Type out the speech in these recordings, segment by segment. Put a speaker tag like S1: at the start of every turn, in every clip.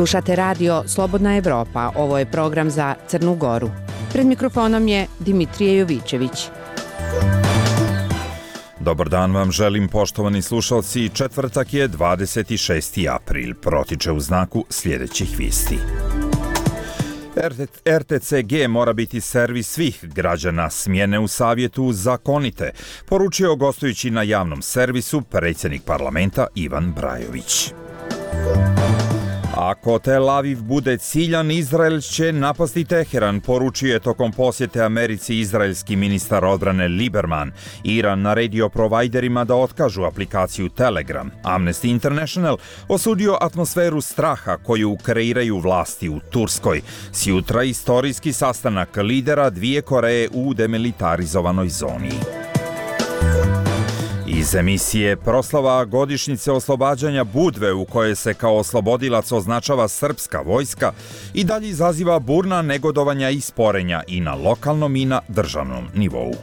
S1: Slušate radio Slobodna Evropa, ovo je program za Crnu Goru. Pred mikrofonom je Dimitrije Jovićević.
S2: Dobar dan vam želim, poštovani slušalci. Četvrtak je 26. april, protiče u znaku sljedećih vijesti. RTCG mora biti servis svih građana, smjene u savjetu zakonite, poručio gostujući na javnom servisu predsjednik parlamenta Ivan Brajović. Ako Tel Aviv bude ciljan, Izrael će napasti Teheran, poručio je tokom posjete Americi izraelski ministar odbrane Lieberman. Iran naredio provajderima da otkažu aplikaciju Telegram. Amnesty International osudio atmosferu straha koju kreiraju vlasti u Turskoj. Sjutra istorijski sastanak lidera dvije Koreje u demilitarizovanoj zoni. Iz emisije proslava godišnjice oslobađanja Budve, u kojoj se kao oslobodilac označava srpska vojska, i dalje izaziva burna negodovanja i sporenja i na lokalnom i na državnom nivou.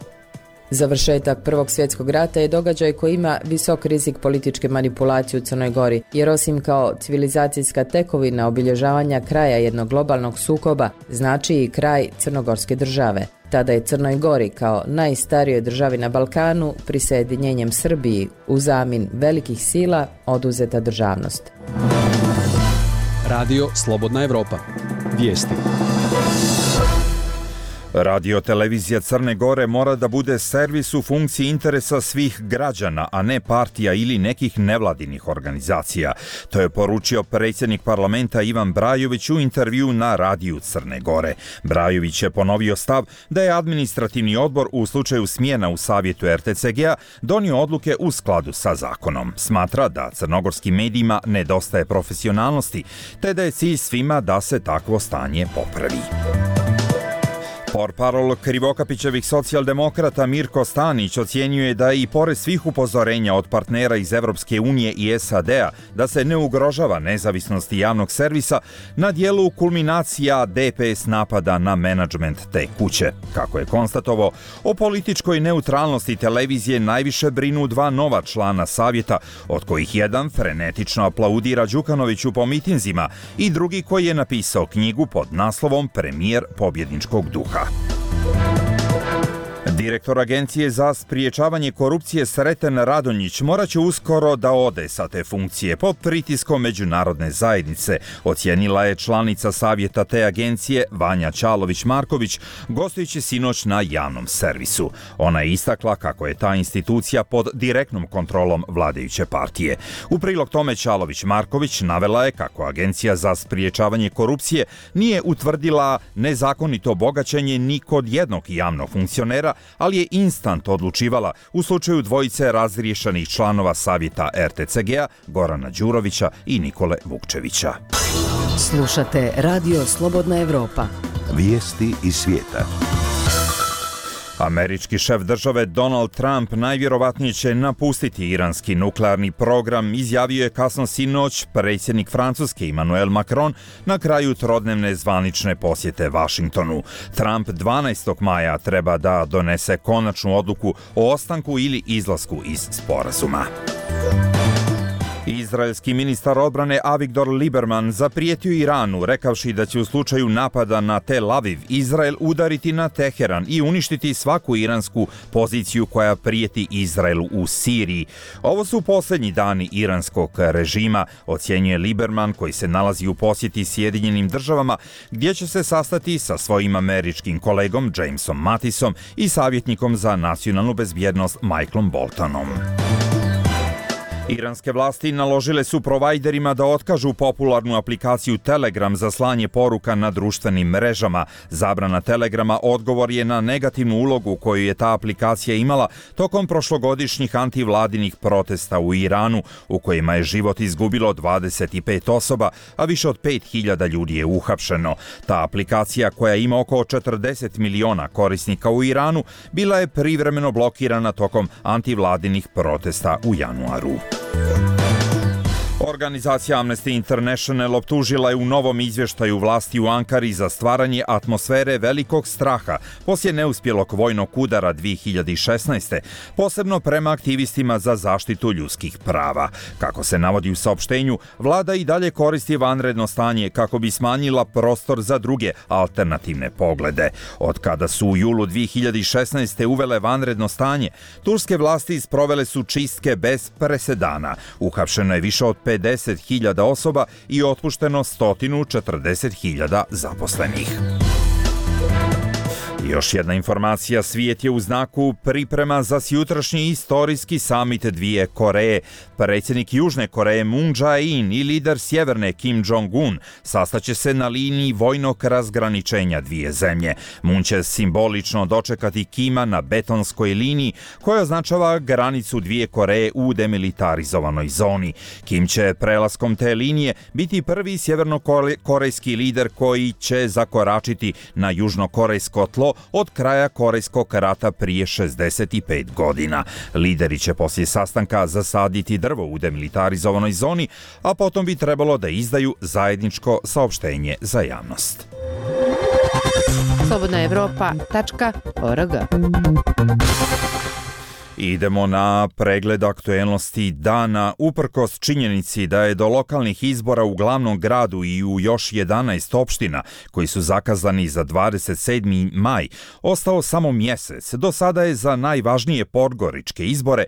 S3: Završetak Prvog svjetskog rata je događaj koji ima visok rizik političke manipulacije u Crnoj Gori, jer osim kao civilizacijska tekovina obilježavanja kraja jednog globalnog sukoba, znači i kraj crnogorske države. Tada je Crnoj Gori kao najstarijoj državi na Balkanu prisjedinjenjem Srbiji u zamin velikih sila oduzeta državnost.
S4: Radio Slobodna Evropa. Vijesti.
S2: Radio-televizija Crne Gore mora da bude servis u funkciji interesa svih građana, a ne partija ili nekih nevladinih organizacija. To je poručio predsjednik parlamenta Ivan Brajović u intervju na radiju Crne Gore. Brajović je ponovio stav da je administrativni odbor u slučaju smjena u savjetu RTCG-a donio odluke u skladu sa zakonom. Smatra da crnogorskim medijima nedostaje profesionalnosti, te da je cilj svima da se takvo stanje popravi. Portparol Krivokapićevih socijaldemokrata Mirko Stanić ocjenjuje da i pored svih upozorenja od partnera iz Evropske unije i SAD-a da se ne ugrožava nezavisnost javnog servisa, na dijelu kulminacija DPS napada na menadžment te kuće. Kako je konstatovao, o političkoj neutralnosti televizije najviše brinu dva nova člana savjeta, od kojih jedan frenetično aplaudira Đukanoviću po mitinzima i drugi koji je napisao knjigu pod naslovom Premijer pobjedničkog duha. Direktor Agencije za spriječavanje korupcije Sreten Radonjić morat će uskoro da ode sa te funkcije pod pritiskom međunarodne zajednice, ocijenila je članica savjeta te agencije Vanja Ćalović-Marković, gostujući sinoć na javnom servisu. Ona je istakla kako je ta institucija pod direktnom kontrolom vladajuće partije. U prilog tome Ćalović-Marković navela je kako Agencija za spriječavanje korupcije nije utvrdila nezakonito bogaćenje ni kod jednog javnog funkcionera, ali je instant odlučivala u slučaju dvojice razriješenih članova savjeta RTCG-a, Gorana Đurovića i Nikole Vukčevića.
S5: Slušate Radio Slobodna Evropa.
S6: Vijesti iz svijeta.
S2: Američki šef države Donald Trump najvjerovatnije će napustiti iranski nuklearni program, izjavio je kasno sinoć predsjednik Francuske Emmanuel Macron na kraju trodnevne zvanične posjete Vašingtonu. Trump 12. maja treba da donese konačnu odluku o ostanku ili izlasku iz sporazuma. Izraelski ministar odbrane Avigdor Lieberman zaprijetio Iranu, rekavši da će u slučaju napada na Tel Aviv Izrael udariti na Teheran i uništiti svaku iransku poziciju koja prijeti Izraelu u Siriji. Ovo su posljednji dani iranskog režima, ocjenjuje Lieberman, koji se nalazi u posjeti Sjedinjenim državama, gdje će se sastati sa svojim američkim kolegom Jamesom Mattisom i savjetnikom za nacionalnu bezbjednost Michaelom Boltonom. Iranske vlasti naložile su provajderima da otkažu popularnu aplikaciju Telegram za slanje poruka na društvenim mrežama. Zabrana Telegrama odgovor je na negativnu ulogu koju je ta aplikacija imala tokom prošlogodišnjih antivladinih protesta u Iranu, u kojima je život izgubilo 25 osoba, a više od 5000 ljudi je uhapšeno. Ta aplikacija, koja ima oko 40 miliona korisnika u Iranu, bila je privremeno blokirana tokom antivladinih protesta u januaru. Organizacija Amnesty International optužila je u novom izvještaju vlasti u Ankari za stvaranje atmosfere velikog straha poslije neuspjelog vojnog udara 2016. posebno prema aktivistima za zaštitu ljudskih prava. Kako se navodi u saopštenju, vlada i dalje koristi vanredno stanje kako bi smanjila prostor za druge alternativne poglede. Od kada su u julu 2016. uvele vanredno stanje, turske vlasti sprovele su čistke bez presedana. Uhapšeno je više od 50.000 osoba i otpušteno 140.000 zaposlenih. Još jedna informacija, svijet je u znaku priprema za sjutrašnji istorijski samit dvije Koreje. Predsjednik Južne Koreje Moon Jae-in i lider Sjeverne Kim Jong-un sastaće se na liniji vojnog razgraničenja dvije zemlje. Moon će simbolično dočekati Kima na betonskoj liniji koja označava granicu dvije Koreje u demilitarizovanoj zoni. Kim će prelaskom te linije biti prvi sjevernokorejski lider koji će zakoračiti na južnokorejsko tlo od kraja Korejskog rata prije 65 godina. Lideri će poslije sastanka zasaditi drvo u demilitarizovanoj zoni, a potom bi trebalo da izdaju zajedničko saopštenje za javnost.
S1: slobodnaevropa.org.
S2: Idemo na pregled aktuelnosti dana. Uprkos činjenici da je do lokalnih izbora u glavnom gradu i u još 11 opština koji su zakazani za 27. maj ostao samo mjesec, do sada je za najvažnije podgoričke izbore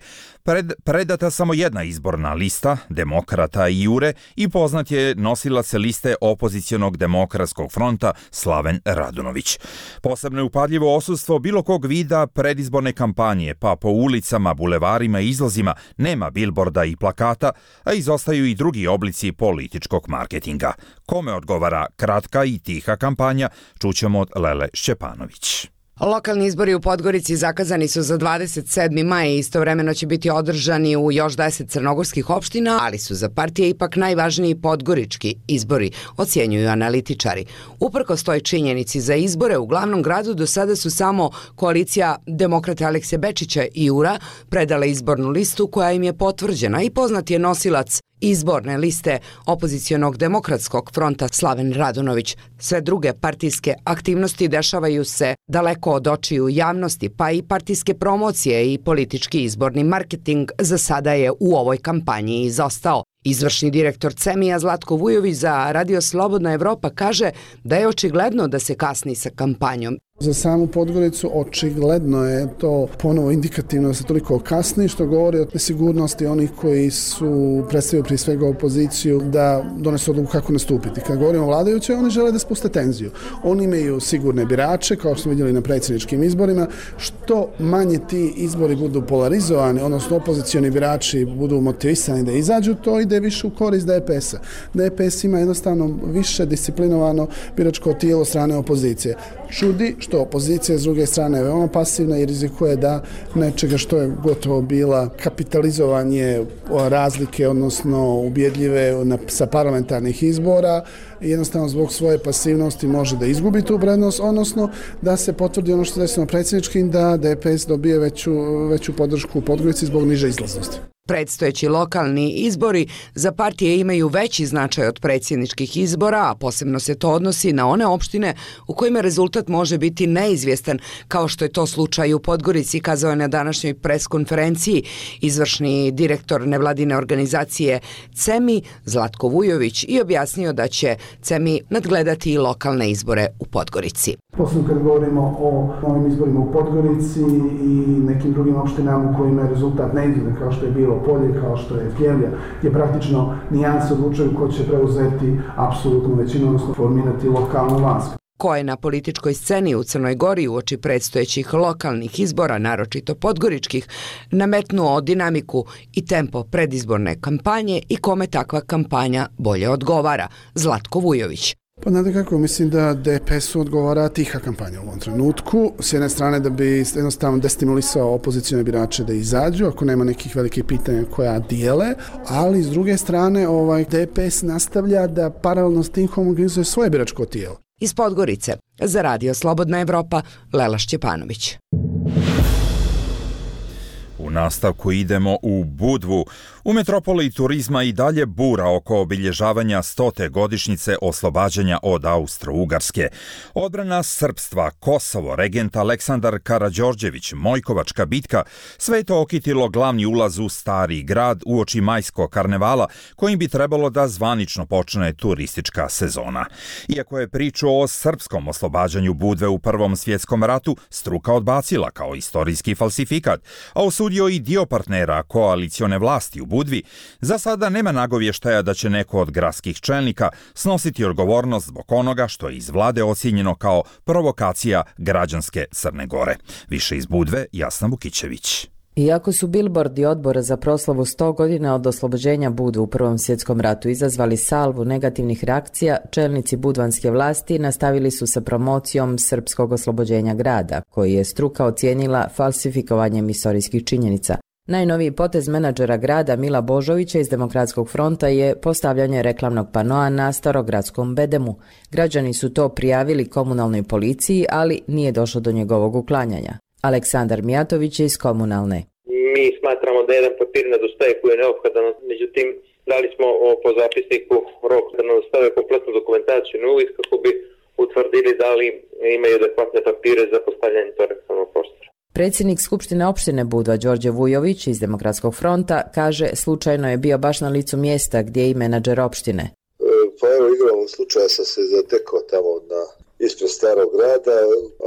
S2: predata samo jedna izborna lista, Demokrata i Jure, i poznat je nosilac liste opozicionog demokratskog fronta Slaven Radunović. Posebno je upadljivo odsustvo bilo kog vida predizborne kampanje, pa po ulicama, bulevarima i izlazima nema bilborda i plakata, a izostaju i drugi oblici političkog marketinga. Kome odgovara kratka i tiha kampanja, čućemo od Lele Šćepanović.
S7: Lokalni izbori u Podgorici zakazani su za 27. maj i istovremeno će biti održani u još 10 crnogorskih opština, ali su za partije ipak najvažniji podgorički izbori, ocjenjuju analitičari. Uprkos toj činjenici, za izbore u glavnom gradu do sada su samo koalicija Demokrate Alekse Bečića i Jura predala izbornu listu koja im je potvrđena i poznat je nosilac izborne liste opozicionog demokratskog fronta Slaven Radunović. Sve druge partijske aktivnosti dešavaju se daleko od očiju javnosti, pa i partijske promocije i politički izborni marketing za sada je u ovoj kampanji izostao. Izvršni direktor CEMI-a Zlatko Vujović za Radio Slobodna Evropa kaže da je očigledno da se kasni sa kampanjom.
S8: Za samu Podgoricu očigledno je to ponovo indikativno da se toliko kasni, što govori o nesigurnosti onih koji su predstavili prije svega opoziciju da donesu odluku kako nastupiti. Kad govorimo o vladajućoj, oni žele da spuste tenziju. Oni imaju sigurne birače, kao što smo vidjeli na predsjedničkim izborima. Što manje ti izbori budu polarizovani, odnosno opozicioni birači budu motivisani da izađu, to ide više u korist DPS-a. DPS ima jednostavno više disciplinovano biračko tijelo strane opozicije. Čudi što opozicija s druge strane je veoma pasivna i rizikuje da nečega što je gotovo bila kapitalizovanje razlike, odnosno ubjedljive sa parlamentarnih izbora, jednostavno zbog svoje pasivnosti može da izgubi tu prednost, odnosno da se potvrdi ono što se desilo na predsjedničkim, da DPS dobije veću podršku u Podgorici zbog niže izlaznosti.
S7: Predstojeći lokalni izbori za partije imaju veći značaj od predsjedničkih izbora, a posebno se to odnosi na one opštine u kojima rezultat može biti neizvjestan, kao što je to slučaj u Podgorici, kazao je na današnjoj preskonferenciji izvršni direktor nevladine organizacije CEMI Zlatko Vujović i objasnio da će CEMI nadgledati i lokalne izbore u Podgorici.
S8: Posebno kad govorimo o novim izborima u Podgorici i nekim drugim opštinama u kojima je rezultat neizvjestan, kao što je bilo Polje, kao što je Pljevlja, gdje praktično nijanse odlučuju ko će preuzeti apsolutnu većinu, odnosno formirati lokalnu vlast.
S7: Ko je na političkoj sceni u Crnoj Gori uoči predstojećih lokalnih izbora, naročito podgoričkih, nametnuo dinamiku i tempo predizborne kampanje i kome takva kampanja bolje odgovara? Zlatko Vujović.
S8: Pa znate kako, mislim da DPS-u odgovara tiha kampanja u ovom trenutku. S jedne strane da bi jednostavno destimulisao opozicione birače da izađu, ako nema nekih velikih pitanja koja dijele, ali s druge strane DPS nastavlja da paralelno s tim homogenizuje svoje biračko tijelo.
S7: Iz Podgorice, za Radio Slobodna Evropa, Lela Šćepanović.
S2: U U nastavku idemo u Budvu. U metropoli turizma i dalje bura oko obilježavanja 100. godišnjice oslobađanja od Austro-Ugarske. Odbrana srpstva, Kosovo, regent Aleksandar Karađorđević, Mojkovačka bitka, sve je to okitilo glavni ulaz u Stari grad uoči majskog karnevala, kojim bi trebalo da zvanično počne turistička sezona. Iako je priču o srpskom oslobađanju Budve u Prvom svjetskom ratu struka odbacila kao istorijski falsifikat, a osudio i dio partnera koalicione vlasti u Budvi, za sada nema nagovještaja da će neko od gradskih čelnika snositi odgovornost zbog onoga što je iz vlade ocijenjeno kao provokacija građanske Crne Gore. Više iz Budve, Jasna Vukićević.
S3: Iako su bilbordi odbora za proslavu 100 godina od oslobođenja Budve u Prvom svjetskom ratu izazvali salvu negativnih reakcija, čelnici budvanske vlasti nastavili su sa promocijom srpskog oslobođenja grada, koji je struka ocijenila falsifikovanjem istorijskih činjenica. Najnoviji potez menadžera grada Mila Božovića iz Demokratskog fronta je postavljanje reklamnog panoa na starogradskom bedemu. Građani su to prijavili komunalnoj policiji, ali nije došlo do njegovog uklanjanja. Aleksandar Mijatović je iz Komunalne.
S9: Mi smatramo da jedan papir nedostaje koji je neophodan, međutim dali smo po zapisniku rok da nam dostave kompletnu dokumentaciju na uvid kako bi utvrdili da li imaju adekvatne papire za postavljanje tog reklamnog prostora.
S3: Predsjednik Skupštine opštine Budva Đorđe Vujović iz Demokratskog fronta kaže slučajno je bio baš na licu mjesta gdje je i menadžer opštine.
S10: Pa evo igramo slučaja sam se zatekao tamo ispred Starog grada,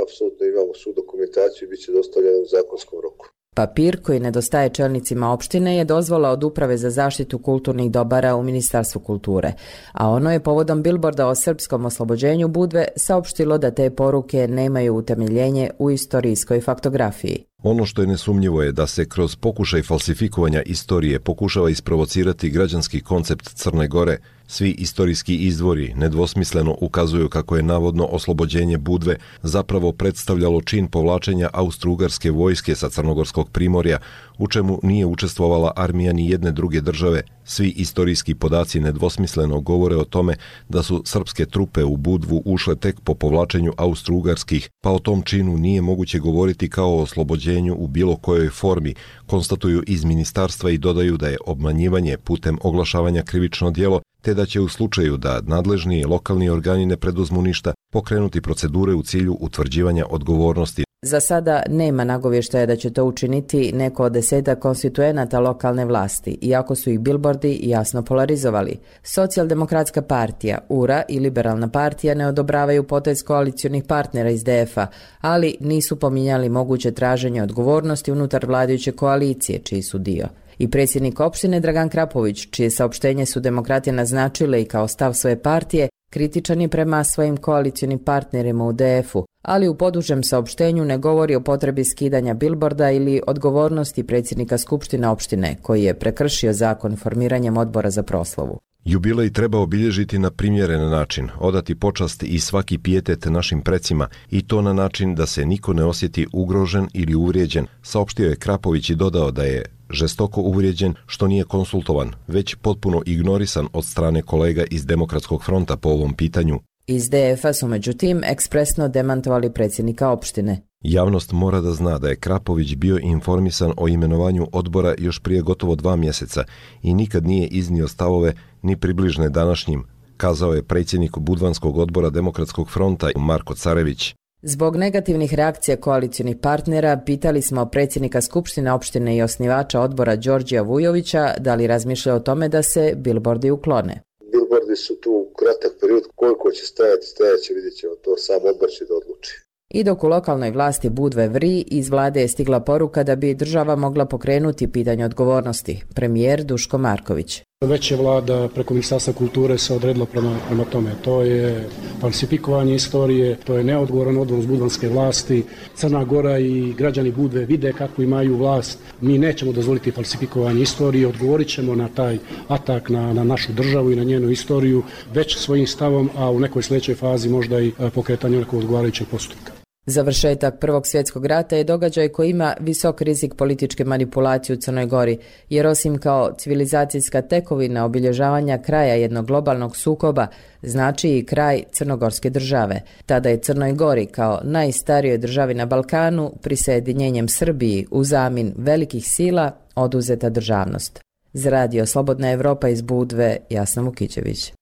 S10: apsolutno imamo svu dokumentaciju i bit će dostavljeno u zakonskom roku.
S3: Papir koji nedostaje čelnicima opštine je dozvola od Uprave za zaštitu kulturnih dobara u Ministarstvu kulture, a ono je povodom bilborda o srpskom oslobođenju Budve saopštilo da te poruke nemaju utemeljenje u istorijskoj faktografiji.
S11: Ono što je nesumnjivo je da se kroz pokušaj falsifikovanja istorije pokušava isprovocirati građanski koncept Crne Gore. Svi istorijski izvori nedvosmisleno ukazuju kako je navodno oslobođenje Budve zapravo predstavljalo čin povlačenja austro-ugarske vojske sa Crnogorskog primorja, u čemu nije učestvovala armija ni jedne druge države. Svi istorijski podaci nedvosmisleno govore o tome da su srpske trupe u Budvu ušle tek po povlačenju austro-ugarskih, pa o tom činu nije moguće govoriti kao o oslobođenju u bilo kojoj formi, konstatuju iz ministarstva i dodaju da je obmanjivanje putem oglašavanja krivično djelo, te da će u slučaju da nadležni lokalni organi ne preduzmu ništa pokrenuti procedure u cilju utvrđivanja odgovornosti.
S3: Za sada nema nagovještaja da će to učiniti neko od 10 konstituenata lokalne vlasti, iako su ih bilbordi jasno polarizovali. Socijaldemokratska partija, URA i Liberalna partija ne odobravaju potez koalicionih partnera iz DF-a, ali nisu pominjali moguće traženje odgovornosti unutar vladajuće koalicije, čiji su dio. I predsjednik opštine Dragan Krapović, čije saopštenje su demokrati naznačile i kao stav svoje partije, kritičan je prema svojim koalicionim partnerima u DF-u, ali u podužem saopštenju ne govori o potrebi skidanja bilborda ili odgovornosti predsjednika Skupštine opštine, koji je prekršio zakon formiranjem odbora za proslavu.
S11: Jubilej treba obilježiti na primjeren način, odati počast i svaki pijetet našim precima i to na način da se niko ne osjeti ugrožen ili uvrijeđen, saopštio je Krapović i dodao da je žestoko uvrijeđen što nije konsultovan, već potpuno ignorisan od strane kolega iz Demokratskog fronta po ovom pitanju.
S3: Iz DF-a su međutim ekspresno demantovali predsjednika opštine.
S11: Javnost mora da zna da je Krapović bio informisan o imenovanju odbora još prije gotovo 2 mjeseca i nikad nije iznio stavove ni približne današnjim, kazao je predsjednik Budvanskog odbora Demokratskog fronta Marko Carević.
S3: Zbog negativnih reakcija koalicionih partnera pitali smo predsjednika Skupštine opštine i osnivača odbora Đorđija Vujovića da li razmišlja o tome da se bilbordi uklone.
S10: Bilbordi su tu u kratak period, koliko će stajaće, vidjet ćemo, to sam odbor će da odluči.
S3: I dok u lokalnoj vlasti Budve vri, iz vlade je stigla poruka da bi država mogla pokrenuti pitanje odgovornosti. Premijer Duško Marković.
S12: Već je vlada preko Ministarstva kulture se odredila prema tome. To je falsifikovanje istorije, to je neodgovoran odnos budvanske vlasti. Crna Gora i građani Budve vide kako imaju vlast. Mi nećemo dozvoliti falsifikovanje istorije, odgovorit ćemo na taj atak na našu državu i na njenu istoriju već svojim stavom, a u nekoj sljedećoj fazi možda i pokretanju nekog odgovarajućeg postupka.
S3: Završetak Prvog svjetskog rata je događaj koji ima visok rizik političke manipulacije u Crnoj Gori, jer osim kao civilizacijska tekovina obilježavanja kraja jednog globalnog sukoba, znači i kraj crnogorske države. Tada je Crnoj Gori kao najstarijoj državi na Balkanu prisjedinjenjem Srbiji u zamin velikih sila oduzeta državnost. Za radio Slobodna Evropa iz Budve, Jasna Mukićević.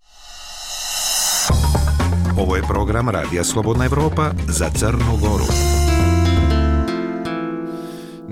S6: Ovo je program Radija Slobodna Evropa za Crnu Goru.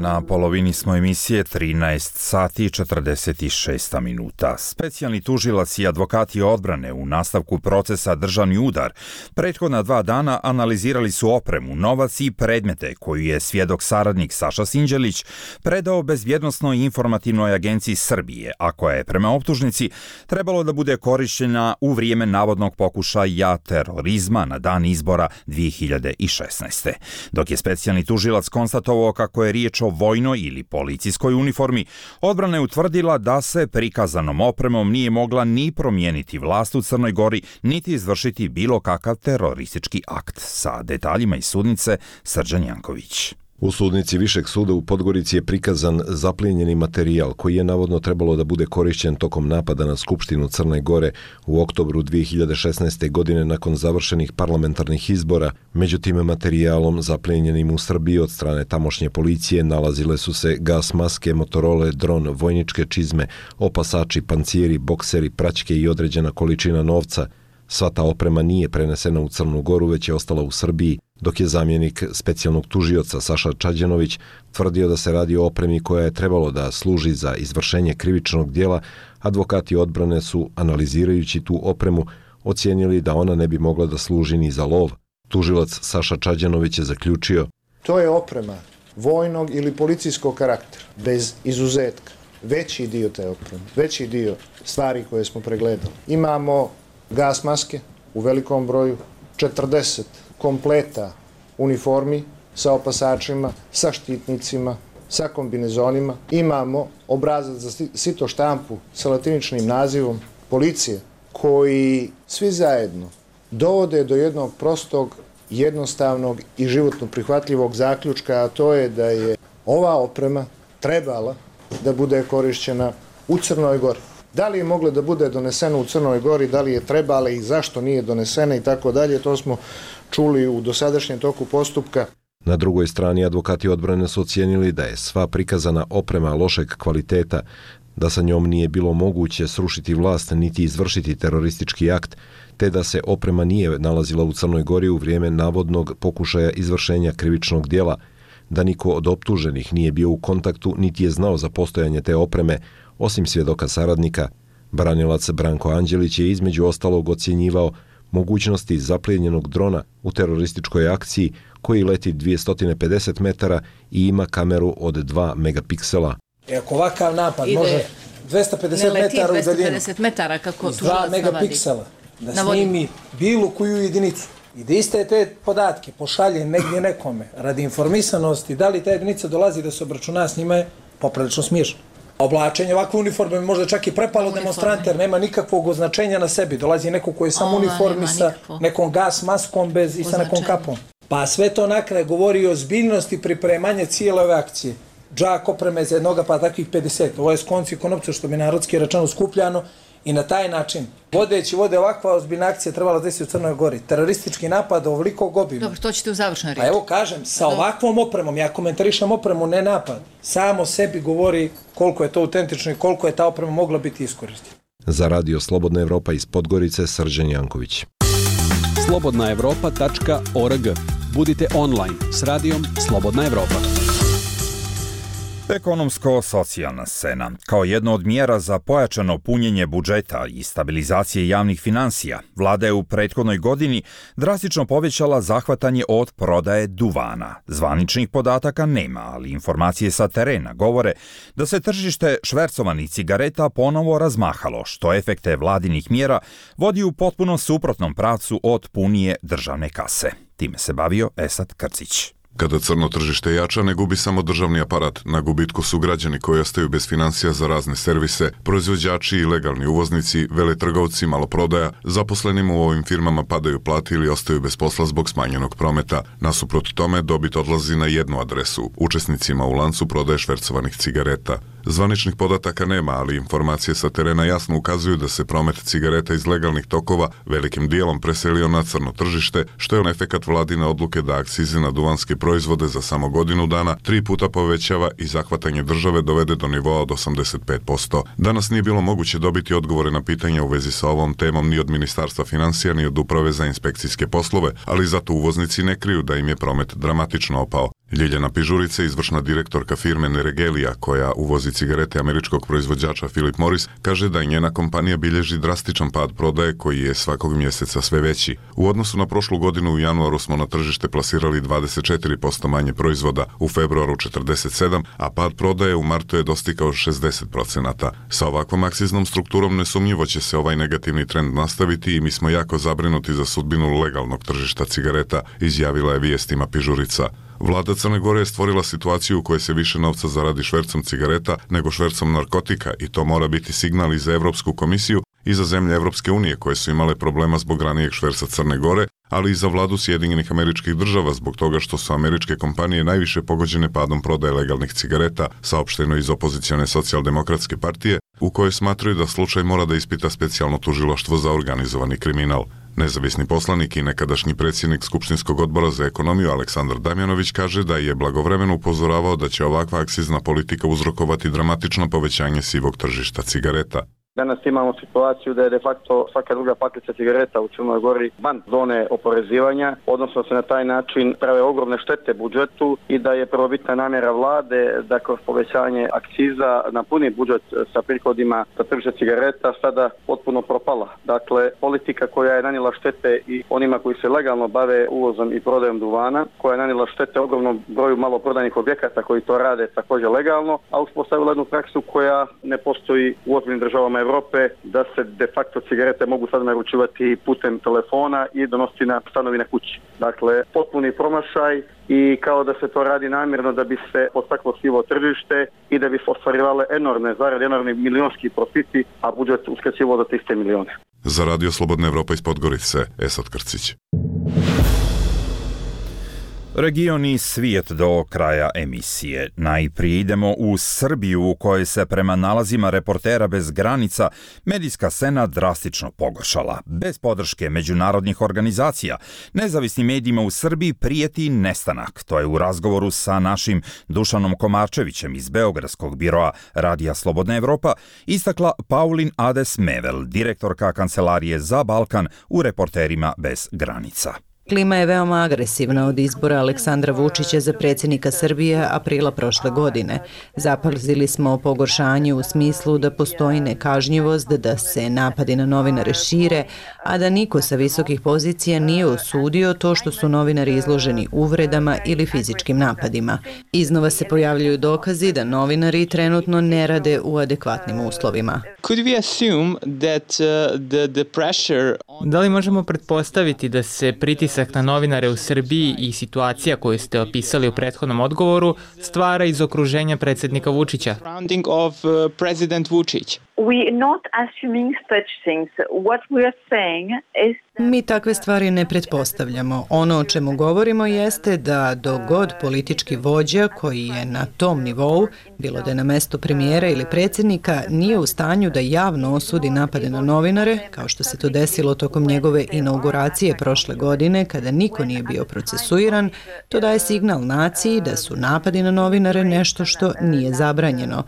S2: Na polovini smo emisije 13 sati i 46 minuta. Specijalni tužilac i advokati odbrane u nastavku procesa Državni udar prethodna 2 dana analizirali su opremu, novac i predmete koju je svjedok saradnik Saša Sinđelić predao Bezbjednosnoj informativnoj agenciji Srbije, a koja je prema optužnici trebalo da bude korišćena u vrijeme navodnog pokušaja terorizma na dan izbora 2016. Dok je specijalni tužilac konstatovao kako je riječ o vojnoj ili policijskoj uniformi, odbrana je utvrdila da se prikazanom opremom nije mogla ni promijeniti vlast u Crnoj Gori, niti izvršiti bilo kakav teroristički akt. Sa detaljima iz sudnice Srđan Janković.
S11: U sudnici Višeg suda u Podgorici je prikazan zaplijenjeni materijal koji je navodno trebalo da bude korišćen tokom napada na Skupštinu Crne Gore u oktobru 2016. godine nakon završenih parlamentarnih izbora. Međutim, materijalom zaplijenjenim u Srbiji od strane tamošnje policije nalazile su se gas maske, motorole, dron, vojničke čizme, opasači, panciri, bokseri, praćke i određena količina novca. Sva ta oprema nije prenesena u Crnu Goru, već je ostala u Srbiji, dok je zamjenik specijalnog tužioca Saša Čađanović tvrdio da se radi o opremi koja je trebalo da služi za izvršenje krivičnog djela. Advokati odbrane su, analizirajući tu opremu, ocijenili da ona ne bi mogla da služi ni za lov. Tužilac Saša Čađanović je zaključio:
S13: to je oprema vojnog ili policijskog karaktera, bez izuzetka. Veći dio te opreme, veći dio stvari koje smo pregledali. Imamo gas maske u velikom broju, 40 kompleta uniformi sa opasačima, sa štitnicima, sa kombinezonima. Imamo obrazac za sito štampu sa latiničnim nazivom policije, koji svi zajedno dovode do jednog prostog, jednostavnog i životno prihvatljivog zaključka, a to je da je ova oprema trebala da bude korišćena u Crnoj Gori. Da li je mogla da bude donesena u Crnoj Gori, da li je trebala i zašto nije donesena i tako dalje, to smo čuli u dosadašnjem toku postupka.
S11: Na drugoj strani advokati odbrane su ocijenili da je sva prikazana oprema lošeg kvaliteta, da sa njom nije bilo moguće srušiti vlast niti izvršiti teroristički akt, te da se oprema nije nalazila u Crnoj Gori u vrijeme navodnog pokušaja izvršenja krivičnog djela, da niko od optuženih nije bio u kontaktu niti je znao za postojanje te opreme, osim svjedoka saradnika. Branilac Branko Anđelić je između ostalog ocjenjivao mogućnosti zaplijenjenog drona u terorističkoj akciji koji leti 250 metara i ima kameru od 2 megapiksela.
S14: Ako ovakav napad može 250 metara u daljinu,
S15: 250 metara kako
S14: 2 megapiksela, da snimi bilo koju jedinicu i da iste te podatke pošalje negdje nekome radi informisanosti, da li ta jedinica dolazi da se obračuna s njima, je poprilično smiješno. Oblačenje ovakve uniforme možda čak i prepalo demonstrante, jer nema nikakvog označenja na sebi. Dolazi neko koji je samo uniformi sa nekom gas maskom i sa nekom kapom. Pa sve to na kraju govori o ozbiljnosti pripremanja cijele ove akcije. Džak opreme za jednoga pa takvih 50. Ovo je s konci konopca, što bi narodski rečeno skupljano, i na taj način, vode ovakva ozbiljna akcija trebala desiti u Crnoj Gori. Teroristički napad ovolikog obima.
S15: Dobro, to ćete u završnoj riječi.
S14: A evo kažem, sa ovakvom opremom, ja komentarišem opremu, ne napad, samo sebi govori koliko je to autentično i koliko je ta oprema mogla biti iskorištena.
S11: Za radio Slobodna Evropa iz Podgorice, Srđan Janković.
S4: slobodnaevropa.org. Budite online s radijom Slobodna Evropa.
S2: Ekonomsko-socijalna scena. Kao jedno od mjera za pojačano punjenje budžeta i stabilizacije javnih financija, vlada je u prethodnoj godini drastično povećala zahvatanje od prodaje duvana. Zvaničnih podataka nema, ali informacije sa terena govore da se tržište švercovanih cigareta ponovo razmahalo, što efekte vladinih mjera vodi u potpuno suprotnom pravcu od punije državne kase. Time se bavio Esad Krcić.
S16: Kada crno tržište jača, ne gubi samo državni aparat, na gubitku su građani koji ostaju bez financija za razne servise, proizvođači i legalni uvoznici, veletrgovci, maloprodaja, zaposlenima u ovim firmama padaju plate ili ostaju bez posla zbog smanjenog prometa. Nasuprot tome, dobit odlazi na jednu adresu, učesnicima u lancu prodaje švercovanih cigareta. Zvaničnih podataka nema, ali informacije sa terena jasno ukazuju da se promet cigareta iz legalnih tokova velikim dijelom preselio na crno tržište, što je efekat vladine odluke da akcize na duvanske proizvode za samo godinu dana 3 puta povećava i zahvatanje države dovede do nivoa od 85%. Danas nije bilo moguće dobiti odgovore na pitanja u vezi sa ovom temom ni od Ministarstva financija ni od Uprave za inspekcijske poslove, ali zato uvoznici ne kriju da im je promet dramatično opao. Ljiljana Pižurica, izvršna direktorka firme Neregelija, koja uvozi cigarete američkog proizvođača Philip Morris, kaže da i njena kompanija bilježi drastičan pad prodaje koji je svakog mjeseca sve veći. U odnosu na prošlu godinu u januaru smo na tržište plasirali 24% manje proizvoda, u februaru 47%, a pad prodaje u martu je dostigao 60%. Sa ovakvom akciznom strukturom nesumnjivo će se ovaj negativni trend nastaviti i mi smo jako zabrinuti za sudbinu legalnog tržišta cigareta, izjavila je vijestima Pižurica. Vlada Crne Gore je stvorila situaciju u kojoj se više novca zaradi švercom cigareta nego švercom narkotika i to mora biti signal i za Evropsku komisiju i za zemlje Evropske unije koje su imale problema zbog ranijeg šverca Crne Gore, ali i za vladu Sjedinjenih Američkih Država zbog toga što su američke kompanije najviše pogođene padom prodaje legalnih cigareta, saopšteno iz opozicione socijaldemokratske partije, u kojoj smatraju da slučaj mora da ispita specijalno tužilaštvo za organizovani kriminal. Nezavisni poslanik i nekadašnji predsjednik Skupštinskog odbora za ekonomiju Aleksandar Damjanović kaže da je blagovremeno upozoravao da će ovakva akcizna politika uzrokovati dramatično povećanje sivog tržišta cigareta.
S17: Danas imamo situaciju da je de facto svaka druga paklica cigareta u Crnoj Gori van zone oporezivanja, odnosno se na taj način prave ogromne štete budžetu i da je prvobitna namjera vlade da kroz povećanje akciza napuni budžet sa prihodima za tržište cigareta sada potpuno propala. Dakle, politika koja je nanijela štete i onima koji se legalno bave uvozom i prodajom duvana, koja je nanijela štete ogromnom broju maloprodajnih objekata koji to rade također legalno, a uspostavila jednu praksu koja ne postoji u ozbiljnim državama Evrope, da se de facto cigarete mogu sad naručivati putem telefona i donositi na stanovine kući. Dakle, potpuni promašaj i kao da se to radi namjerno da bi se podstaklo sivo tržište i da bi se ostvarivale enormne zarade, enormni milionski profiti, a budžet uskraćivao za 300 miliona.
S16: Za Radio Slobodna Evropa iz Podgorice, Esad Krcić.
S2: Region i svijet do kraja emisije. Najprije idemo u Srbiju u kojoj se prema nalazima Reportera bez granica medijska scena drastično pogoršala. Bez podrške međunarodnih organizacija, nezavisnim medijima u Srbiji prijeti nestanak. To je u razgovoru sa našim Dušanom Komarčevićem iz Beogradskog biroa Radija Slobodna Evropa istakla Paulin Ades-Mevel, direktorka Kancelarije za Balkan u Reporterima bez granica.
S18: Klima je veoma agresivna od izbora Aleksandra Vučića za predsjednika Srbije aprila prošle godine. Zapazili smo pogoršanje u smislu da postoji nekažnjivost, da se napadi na novinare šire, a da niko sa visokih pozicija nije osudio to što su novinari izloženi uvredama ili fizičkim napadima. Iznova se pojavljuju dokazi da novinari trenutno ne rade u adekvatnim uslovima.
S19: Da li možemo pretpostaviti da se pritisak na novinare u Srbiji i situacija koju ste opisali u prethodnom odgovoru stvara iz okruženja predsjednika Vučića?
S18: Mi takve stvari ne pretpostavljamo. Ono o čemu govorimo jeste da dok god politički vođa koji je na tom nivou, bilo da je na mestu premijera ili predsjednika, nije u stanju da javno osudi napade na novinare, kao što se to desilo tokom njegove inauguracije prošle godine kada niko nije bio procesuiran, to daje signal naciji da su napadi na novinare nešto što nije zabranjeno.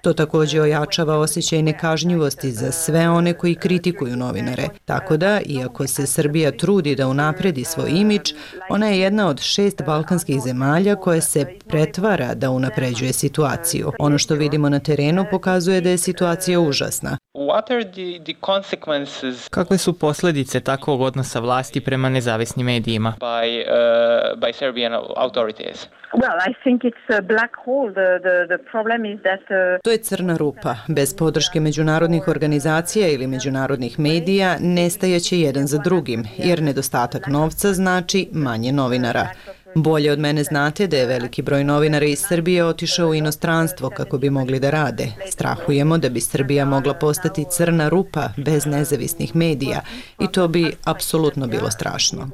S18: To također ojačava osjećaj nekažnjivosti za sve one koji kritikuju novinare. Tako da, iako se Srbija trudi da unapredi svoj imidž, ona je jedna od 6 balkanskih zemalja koje se pretvara da unapređuje situaciju. Ono što vidimo na terenu pokazuje da je situacija užasna.
S19: Kakve su posljedice takvog odnosa vlasti prema nezavisnim medijima?
S18: To je crna rupa. Bez podrške međunarodnih organizacija ili međunarodnih medija nestajaće jedan za drugim, jer nedostatak novca znači manje novinara. Bolje od mene znate da je veliki broj novinara iz Srbije otišao u inostranstvo kako bi mogli da rade. Strahujemo da bi Srbija mogla postati crna rupa bez nezavisnih medija i to bi apsolutno bilo strašno.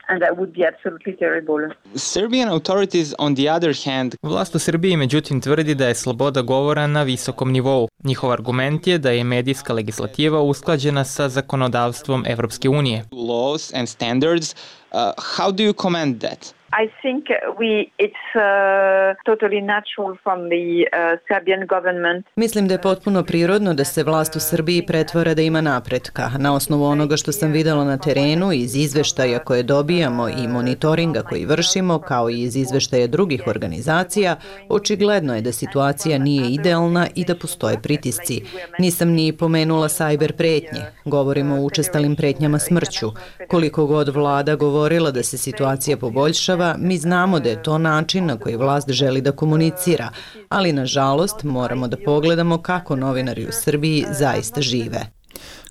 S20: And that would be absolutely terrible.
S19: Serbian authorities, on the other hand, vlast u Srbiji međutim tvrdi da je sloboda govora na visokom nivou. Njihov argument je da je medijska legislativa usklađena sa zakonodavstvom Evropske unije. Laws and standards, how do you comment that?
S20: I think it's totally natural from the Serbian government.
S18: Mislim da je potpuno prirodno da se vlast u Srbiji pretvara da ima napretka. Na osnovu onoga što sam videla na terenu, iz izveštaja koje dobijamo i monitoringa koji vršimo, kao i iz izveštaja drugih organizacija, očigledno je da situacija nije idealna i da postoje pritisci. Nisam ni pomenula sajber pretnje. Govorimo o učestalim pretnjama smrću. Koliko god vlada govorila da se situacija poboljšava, mi znamo da je to način na koji vlast želi da komunicira, ali nažalost moramo da pogledamo kako novinari u Srbiji zaista žive.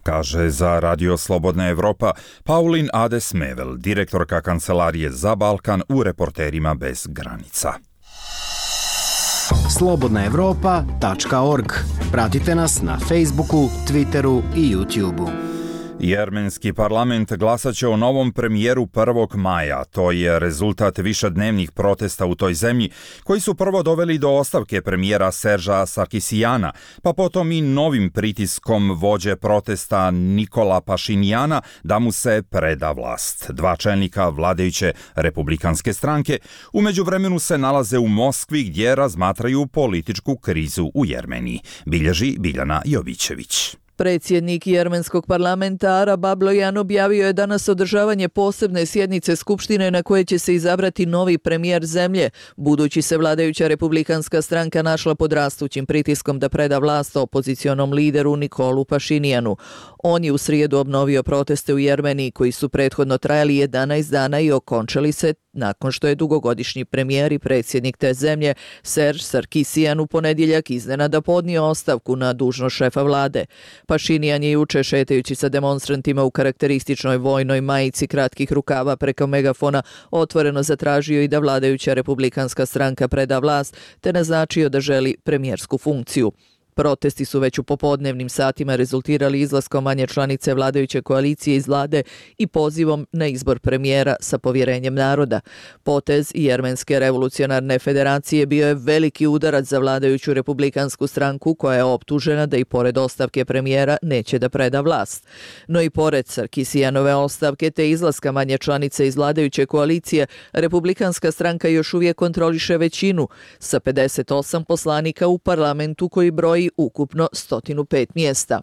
S2: Kaže za Radio Slobodna Evropa Paulin Ades-Mevel, direktorka Kancelarije za Balkan u Reporterima bez granica.
S21: slobodnaevropa.org. Pratite nas na Facebooku, Twitteru i YouTubeu.
S2: Jermenski parlament glasat će o novom premijeru 1. maja. To je rezultat višednevnih protesta u toj zemlji, koji su prvo doveli do ostavke premijera Serža Sarkisijana, pa potom i novim pritiskom vođe protesta Nikola Pašinjana da mu se preda vlast. Dva čelnika vladajuće republikanske stranke u međuvremenu se nalaze u Moskvi gdje razmatraju političku krizu u Jermeniji. Bilježi Biljana Jovićević.
S22: Predsjednik jermenskog parlamenta Arab Ablojan objavio je danas održavanje posebne sjednice Skupštine na koje će se izabrati novi premijer zemlje, budući se vladajuća republikanska stranka našla pod rastućim pritiskom da preda vlast opozicionom lideru Nikolu Pašinjanu. On je u srijedu obnovio proteste u Jermeniji koji su prethodno trajali 11 dana i okončali se nakon što je dugogodišnji premijer i predsjednik te zemlje Serž Sarkisijan u ponedjeljak iznenada podnio ostavku na dužnost šefa vlade. Pašinjan je juče šetajući sa demonstrantima u karakterističnoj vojnoj majici kratkih rukava preko megafona otvoreno zatražio i da vladajuća republikanska stranka preda vlast te naznačio da želi premijersku funkciju. Protesti su već u popodnevnim satima rezultirali izlaskom manje članice vladajuće koalicije iz vlade i pozivom na izbor premijera sa povjerenjem naroda. Potez Jermenske revolucionarne federacije bio je veliki udarac za vladajuću republikansku stranku koja je optužena da i pored ostavke premijera neće da preda vlast. No i pored Sarkisijanove ostavke te izlaska manje članice iz vladajuće koalicije, republikanska stranka još uvijek kontroliše većinu sa 58 poslanika u parlamentu koji broji ukupno 105 mjesta.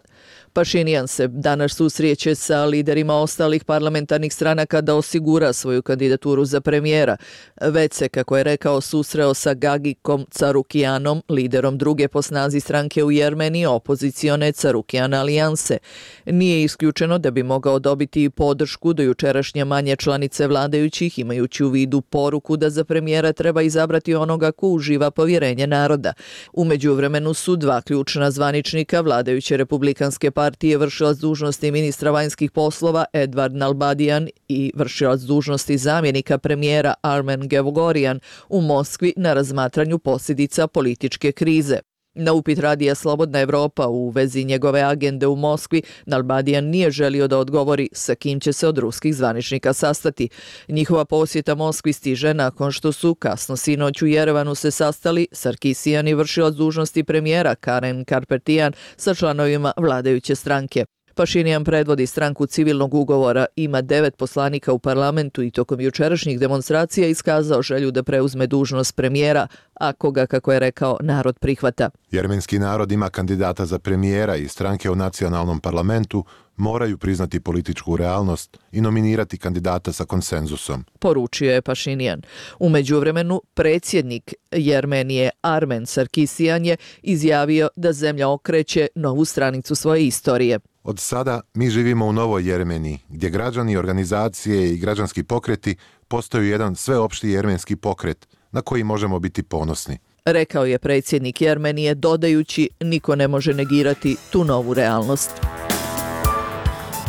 S22: Pašinjan se danas susreće sa liderima ostalih parlamentarnih stranaka da osigura svoju kandidaturu za premijera. Već se, kako je rekao, susreo sa Gagikom Carukijanom, liderom druge po snazi stranke u Jermeniji, opozicione Carukijan alijanse. Nije isključeno da bi mogao dobiti i podršku do jučerašnje manje članice vladajućih, imajući u vidu poruku da za premijera treba izabrati onoga ko uživa povjerenje naroda. U međuvremenu su dva ključna zvaničnika vladajuće republikanske partije, vršilac dužnosti ministra vanjskih poslova Edvard Nalbadijan i vršilac dužnosti zamjenika premijera Armen Gevgorijan u Moskvi na razmatranju posljedica političke krize. Na upit Radija Slobodna Evropa u vezi njegove agende u Moskvi, Nalbadijan nije želio da odgovori sa kim će se od ruskih zvaničnika sastati. Njihova posjeta Moskvi stiže nakon što su kasno sinoć u Jerevanu se sastali Sarkisijan i vršilac dužnosti premijera Karen Karpetijan sa članovima vladajuće stranke. Pašinjan predvodi stranku civilnog ugovora, ima 9 poslanika u parlamentu i tokom jučerašnjih demonstracija iskazao želju da preuzme dužnost premijera, ako ga, kako je rekao, narod prihvata.
S23: Jermenski narod ima kandidata za premijera i stranke u nacionalnom parlamentu moraju priznati političku realnost i nominirati kandidata sa konsenzusom,
S22: poručio je Pašinjan. U međuvremenu, predsjednik Jermenije Armen Sarkisijan je izjavio da zemlja okreće novu stranicu svoje istorije.
S23: Od sada mi živimo u novoj Jermeniji, gdje građani, organizacije i građanski pokreti postaju jedan sveopšti jermenski pokret na koji možemo biti ponosni,
S22: rekao je predsjednik Jermenije, dodajući niko ne može negirati tu novu realnost.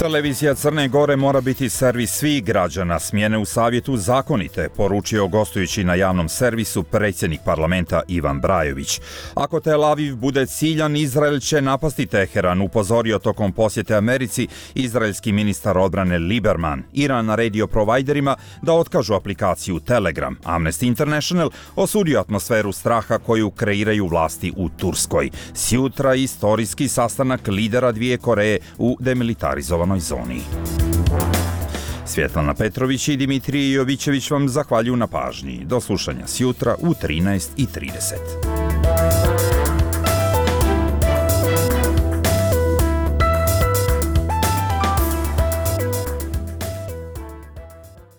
S2: Televizija Crne Gore mora biti servis svih građana, smjene u savjetu zakonite, poručio gostujući na javnom servisu predsjednik parlamenta Ivan Brajović. Ako Tel Aviv bude ciljan, Izrael će napasti Teheran, upozorio tokom posjete Americi izraelski ministar odbrane Lieberman. Iran naredio provajderima da otkažu aplikaciju Telegram. Amnesty International osudio atmosferu straha koju kreiraju vlasti u Turskoj. Sjutra istorijski sastanak lidera dvije Koreje u demilitarizovanoj zoni. Svjetlana Petrović i Dimitrije Jovićević vam zahvaljuju na pažnji. Do slušanja sjutra u 13:30.